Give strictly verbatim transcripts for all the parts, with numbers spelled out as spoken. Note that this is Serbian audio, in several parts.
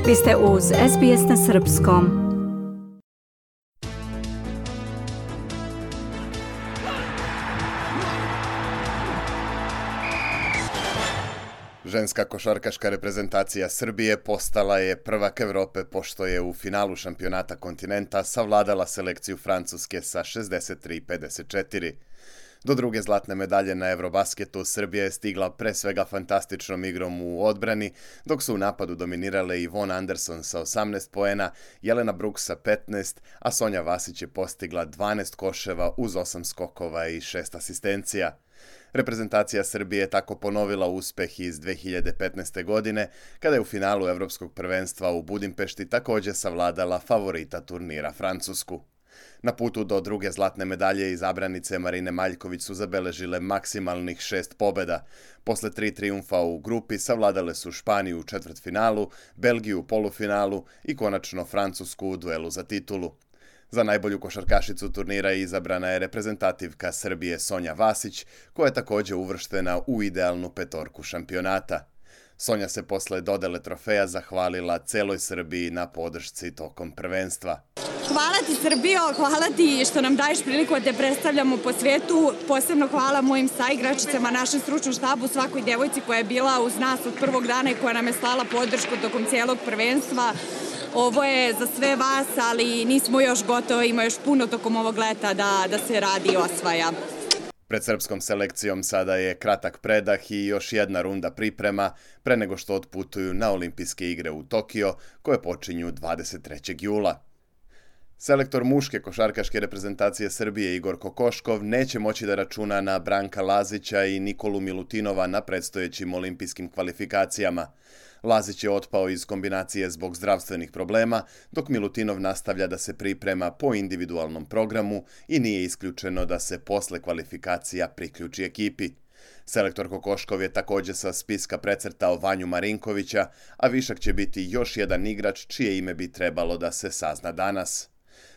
Vi ste uz S B S na srpskom. Ženska košarkaška reprezentacija Srbije postala je prvak Evrope pošto je u finalu šampionata kontinenta savladala selekciju Francuske sa šezdeset tri pedeset četiri. Do druge zlatne medalje na Eurobasketu Srbija je stigla pre svega fantastičnom igrom u odbrani, dok su u napadu dominirale Yvonne Anderson sa osamnaest poena, Jelena Brooks sa petnaest, a Sonja Vasić je postigla dvanaest koševa uz osam skokova i šest asistencija. Reprezentacija Srbije je tako ponovila uspeh iz dve hiljade petnaeste. godine, kada je u finalu Evropskog prvenstva u Budimpešti također savladala favorita turnira Francusku. Na putu do druge zlatne medalje izabranice Marine Maljković su zabeležile maksimalnih šest pobjeda. Posle tri trijumfa u grupi savladale su Španiju u četvrtfinalu, Belgiju u polufinalu i konačno Francusku u duelu za titulu. Za najbolju košarkašicu turnira izabrana je reprezentativka Srbije Sonja Vasić, koja je također uvrštena u idealnu petorku šampionata. Sonja se posle dodele trofeja zahvalila celoj Srbiji na podršci tokom prvenstva. Hvala ti Srbijo, hvala ti što nam daješ priliku da te predstavljamo po svijetu. Posebno hvala mojim saigračicama, našem stručnom štabu, svakoj djevojci koja je bila uz nas od prvog dana i koja nam je slala podršku tokom cijelog prvenstva. Ovo je za sve vas, ali nismo još gotovi, ima još puno tokom ovog leta da, da se radi i osvaja. Pred srpskom selekcijom sada je kratak predah i još jedna runda priprema pre nego što otputuju na olimpijske igre u Tokio, koje počinju dvadeset trećeg jula. Selektor muške košarkaške reprezentacije Srbije Igor Kokoškov neće moći da računa na Branka Lazića i Nikolu Milutinova na predstojećim olimpijskim kvalifikacijama. Lazić je otpao iz kombinacije zbog zdravstvenih problema, dok Milutinov nastavlja da se priprema po individualnom programu i nije isključeno da se posle kvalifikacija priključi ekipi. Selektor Kokoškov je također sa spiska precrtao Vanju Marinkovića, a višak će biti još jedan igrač čije ime bi trebalo da se sazna danas.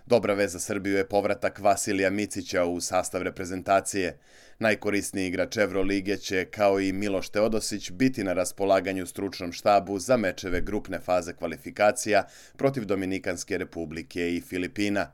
Dobra vez za Srbiju je povratak Vasilija Micića u sastav reprezentacije. Najkorisniji igrač Evrolige će, kao i Miloš Teodosić, biti na raspolaganju stručnom štabu za mečeve grupne faze kvalifikacija protiv Dominikanske republike i Filipina.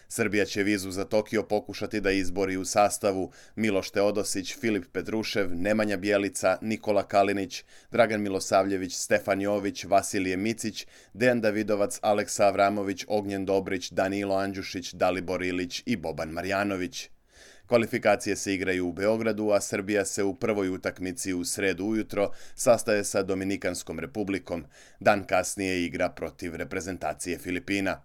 Srbija će vizu za Tokio pokušati da izbori u sastavu Miloš Teodosić, Filip Petrušev, Nemanja Bjelica, Nikola Kalinić, Dragan Milosavljević, Stefan Jović, Vasilije Micić, Dejan Davidovac, Aleksa Avramović, Ognjen Dobrić, Danilo Andjušić, Dalibor Ilić i Boban Marjanović. Kvalifikacije se igraju u Beogradu, a Srbija se u prvoj utakmici u sredu ujutro sastaje sa Dominikanskom republikom. Dan kasnije igra protiv reprezentacije Filipina.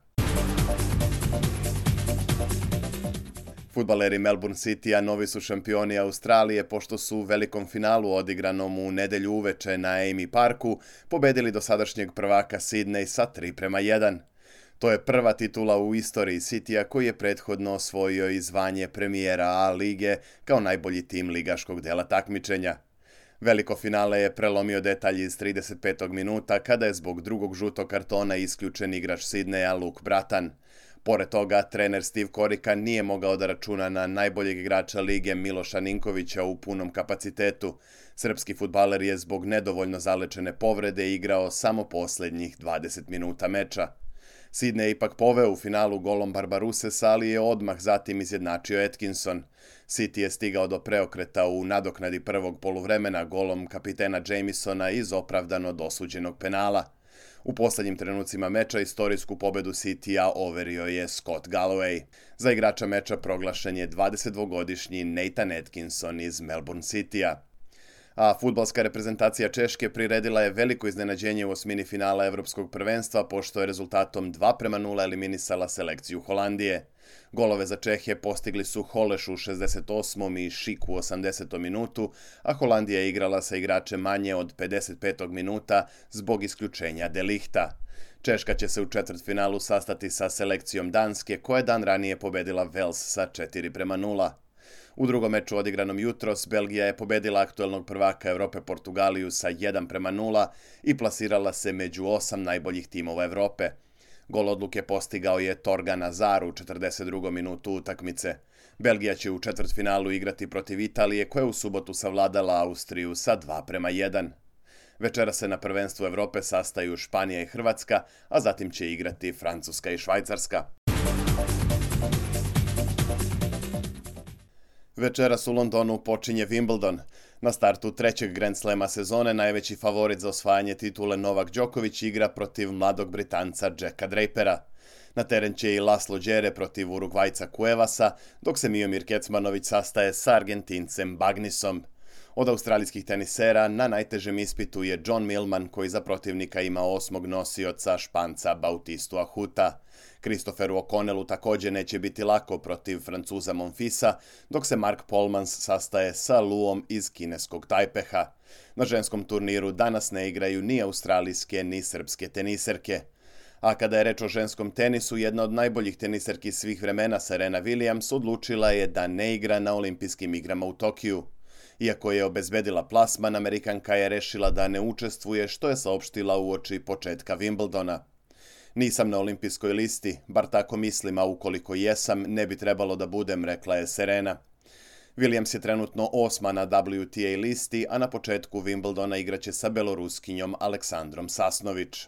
Fudbaleri Melbourne Citya novi su šampioni Australije pošto su u velikom finalu odigranom u nedelju uveče na Amy Parku pobedili dosadašnjeg prvaka Sydney sa tri prema jedan. To je prva titula u istoriji Citya koji je prethodno osvojio i zvanje premijera A lige kao najbolji tim ligaškog dela takmičenja. Veliko finale je prelomio detalj iz trideset petog minuta kada je zbog drugog žutog kartona isključen igrač Sydneya Luke Bratan. Pored toga, trener Steve Korika nije mogao da računa na najboljeg igrača lige Miloša Ninkovića u punom kapacitetu. Srpski fudbaler je zbog nedovoljno zalečene povrede igrao samo posljednjih dvadeset minuta meča. Sydney je ipak poveo u finalu golom Barbarusesa, ali je odmah zatim izjednačio Atkinson. City je stigao do preokreta u nadoknadi prvog poluvremena golom kapitena Jamisona iz opravdano dosuđenog penala. U posljednjim trenucima meča istorijsku pobedu Citya overio je Scott Galloway. Za igrača meča proglašen je dvadesetdvogodišnji Nathan Atkinson iz Melbourne Citya. A fudbalska reprezentacija Češke priredila je veliko iznenađenje u osmini finala Evropskog prvenstva pošto je rezultatom dva prema nula eliminisala selekciju Holandije. Golove za Čehe postigli su Holeš u šezdeset osmom i Šik u osamdesetom minutu, a Holandija je igrala sa igračem manje od pedeset petog minuta zbog isključenja De Lichta. Češka će se u četvrtfinalu sastati sa selekcijom Danske, koja je dan ranije pobedila Wales sa četiri prema nula. U drugom meču odigranom jutros, Belgija je pobedila aktuelnog prvaka Evrope Portugaliju sa jedan prema nula i plasirala se među osam najboljih timova Evrope. Gol odluke postigao je Torgan Azar u četrdeset drugom minutu utakmice. Belgija će u četvrtfinalu igrati protiv Italije, koja je u subotu savladala Austriju sa dva prema jedan. Večera se na prvenstvu Evrope sastaju Španija i Hrvatska, a zatim će igrati Francuska i Švajcarska. Večeras u Londonu počinje Wimbledon. Na startu trećeg Grand Slema sezone najveći favorit za osvajanje titule Novak Đoković igra protiv mladog Britanca Jacka Drapera. Na teren će i Laslo Đere protiv Urugvajca Cuevasa, dok se Miomir Kecmanović sastaje sa Argentincem Bagnisom. Od australijskih tenisera na najtežem ispitu je John Millman, koji za protivnika ima osmog nosioca Španca Bautistu Ahuta. Christopheru O'Connellu također neće biti lako protiv Francuza Monfisa, dok se Mark Polmans sastaje sa Luom iz kineskog Tajpeha. Na ženskom turniru danas ne igraju ni australijske ni srpske teniserke. A kada je reč o ženskom tenisu, jedna od najboljih teniserki svih vremena, Serena Williams, odlučila je da ne igra na olimpijskim igrama u Tokiju. Iako je obezbedila plasman, Amerikanka je rešila da ne učestvuje, što je saopštila uoči početka Wimbledona. Nisam na olimpijskoj listi, bar tako mislim, a ukoliko jesam, ne bi trebalo da budem, rekla je Serena. Williams je trenutno osma na W T A listi, a na početku Wimbledona igraće sa Beloruskinjom Aleksandrom Sasnović.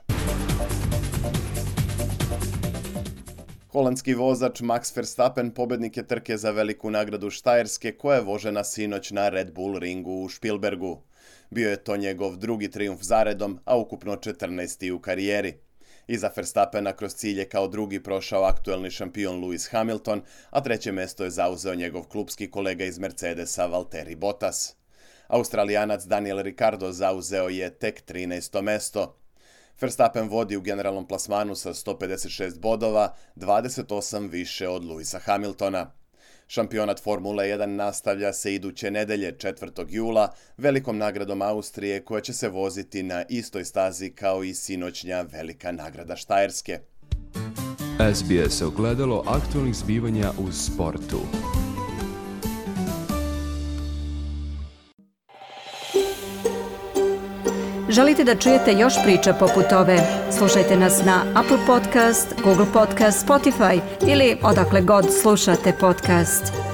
Holandski vozač Max Verstappen pobednik je trke za veliku nagradu Štajerske, koja je vožena sinoć na Red Bull ringu u Špilbergu. Bio je to njegov drugi trijumf zaredom, a ukupno četrnaesti u karijeri. Iza Verstappena kroz cilj je kao drugi prošao aktuelni šampion Lewis Hamilton, a treće mesto je zauzeo njegov klupski kolega iz Mercedesa Valtteri Bottas. Australijanac Daniel Ricciardo zauzeo je tek trinaesto mesto. Verstappen vodi u generalnom plasmanu sa sto pedeset šest bodova, dvadeset osam više od Lewisa Hamiltona. Šampionat Formule jedan nastavlja se iduće nedelje, četvrtog jula, velikom nagradom Austrije, koja će se voziti na istoj stazi kao i sinoćnja velika nagrada Štajerske. S B S ogledalo aktualnih zbivanja u sportu. Želite da čujete još priča poput ove? Slušajte nas na Apple Podcast, Google Podcast, Spotify ili odakle god slušate podcast.